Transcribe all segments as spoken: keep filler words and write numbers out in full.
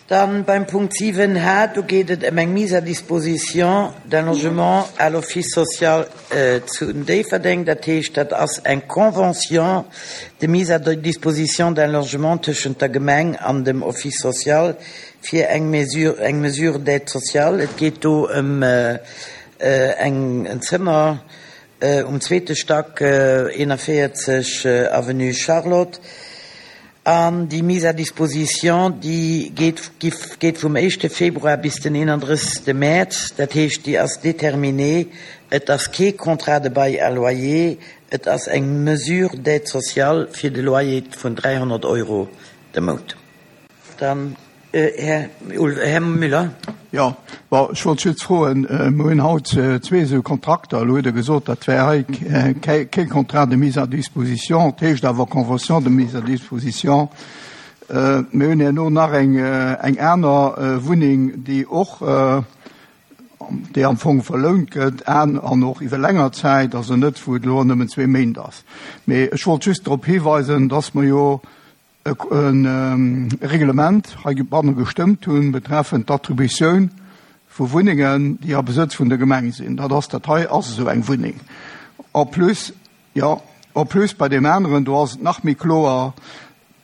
Dann beim Punkt siwen H, do geet et ëm eng Mise à disposition d'un logement à l'Office social zu Déifferdeng. Dat heescht, dat ass eng Convention de mise à disposition d'un logement tëschent der Gemeng an dem Office social fir eng Mesure, eng Mesure d'aide sociale. Et geet do ëm eng, en Zëmmer um zweete Stack, eenanvéierzeg Avenue Charlotte. An déi Mise à disposition, déi geet, geet vum éischte Februar bis den eenandrëssegste Mäerz. Dat heescht, déi ass déterminée. Et ass kee Contrat de bail à loyer, et ass eng Mesure d'aide sociale fir de Loyer vun dräihonnert Euro de Mount. Dann Här, Här Müller. Jo, bon, ech wollt just froen, mer hunn haut zwee esou Kontrakter. Elo hutt Der gesot, dat wär hei kee Contrat de mise à disposition, et heescht awer Convention de mise à disposition. Mir hunn herno nach eng, eng aner Wunneng, déi och, déi am Fong verlount gëtt an an och iwwer länger Zäit, also net wou et elo nëmmen zwee Méint ass. Mee ech wollt just drop hiweisen, dass mer jo e Reglement heibanne gestëmmt hunn betreffend d'Attributioun vu Wunnengen, déi a Besëtz vun der Gemeng sinn. Dat ass, dat hei ass esou eng Wunneng. En plus, jo, en plus bei deem aneren, do ass et nach méi kloer.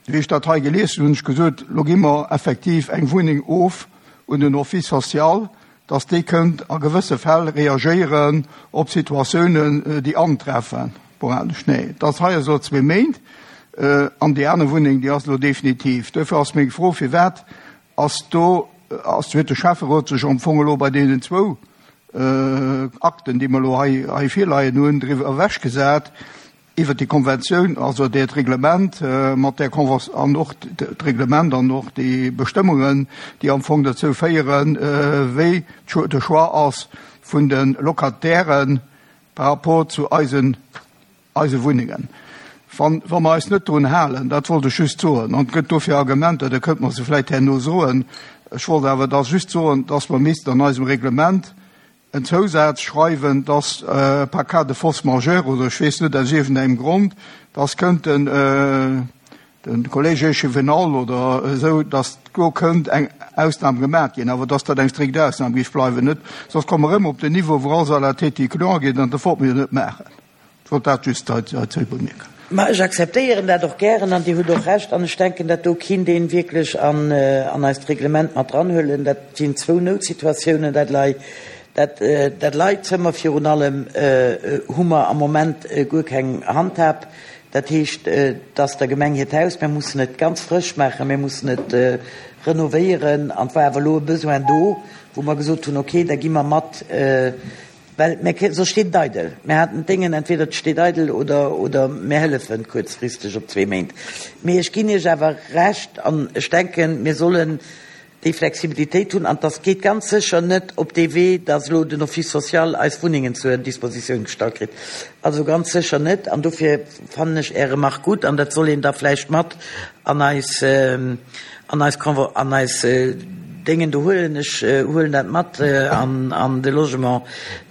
Wéi ech dat hei gelies hunn, hunn ech gesot, elo gi mer effektiv eng Wunneng of un den Office social, dass dee kënnt a gewësse Fäll reagéieren op Situatiounen, déi antreffen. Sporadesch, nee, et ass hei esou zwee Méint. An déi aner Wunneng, déi ass elo definitiv. Duerfir ass meng Fro, Firwat ass do, ass, huet de Schäfferot sech am Fong elo bei deenen zwou Akten, déi mer elo hei, hei virleien hunn, driwwer ewechgesat, iwwert déi Konventioun, also dat Reglement mat där Konven-, an och d'Reglement an och déi Bestëmmungen, déi am Fong dozou féieren, wéi de Choix ass vun de Locatairen par rapport zu eisen, eise Wunnengen. Wann, wa mer eis net drun halen, dat wollt ech just soen, an et gëtt dofir Argumenter, da kënnte mer se vläicht herno soen, ech wollt awer da just soen, dass mer missten an eisem Reglement en Zousaz schreiwen, dass par cas de force majeure oder ech weess net aus iergendengem Grond, dass kënnten de Collège échevinal oder esou, dass do kënnt eng Ausnam gemaach ginn, awer dass dat eng strikt Ausnam géif bleiwen, net soss komme mer erëm op den Niveau, wou alles à la tête client geet, an dat wollte mer jo net maachen. Ech wollt dat just heizou bemierken. Ma ech akzeptéieren dat och gären an Dir hutt och Recht an ech denken, dat do kinnt een wierklech an an eist Reglement mat dranhuelen. Dat sinn zwou Noutsituatiounen, dat Lei, dat dat Leizëmmer virun allem hu mer am Moment guer keng Handhab. Dat heescht, et ass der Gemeng hiert Haus, mir mussen et ganz frësch maachen, mir mussen et renovéieren an et war awer elo e Besoin do, wou mer gesot hunn, okay, da gi mer mat. Well mir, soss steet et eidel. Mir haten d'Déngen, entweder et steet eidel oder, oder mir hëllefen kuerzfristeg op zwee Méint. Mee ech ginn Iech awer Recht an ech denken, mir sollen déi Flexibilitéit hunn. An dass geet ganz sécher net op dee Wee, dass elo den Office social eis Wunnengen zur Dispositioun gestallt kritt. Also ganz sécher net. An dofir fannen ech Är Remarque gutt an dat soll een da vläicht mat an eis, an eis, an eis Déngen do huelen. Ech huelen dat mat an an de Logement,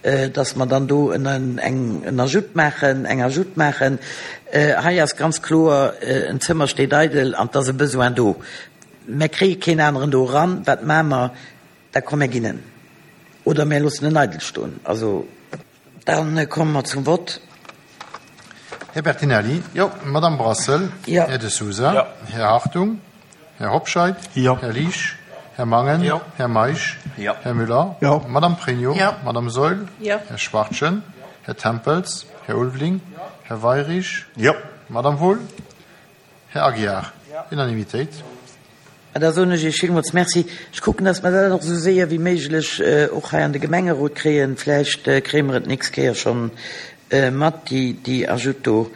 dass mer dann do en eng en Ajout maachen, eng Ajout maachen. Hei ass ganz kloer, en Zëmmer steet eidel an 't ass e Besoin do. Mer kréie keen aneren do eran. Wat maache mer? Da komm, mer ginn en oder mer loossen en eidel stoen. Also. Dann komme mer zum Vott. Här Bertinelli. Jo. Madame Brassel. Jo. Här De Sousa. Jo. Här Hartung. Här Hobscheit. Jo. Här Liesch. Här Mangen. Jo. Här Meisch. Jo. Här Müller. Jo. Madame Pregno. Jo. Madame Saeul. Jo. Här Schwachtgen. Här Tempels. Här Ulveling. Här Weyrich. Jo. Madame Wohl. Här Aguiar. Unanimitéit. Da soen ech Iech villmools Merci. Ech kucken, dass mer dat och esou séier wéi méiglech och hei an de Gemengerot kréien. Vläicht kréie mer et d'nächst Kéier schonn mat, déi, déi Ajoute do.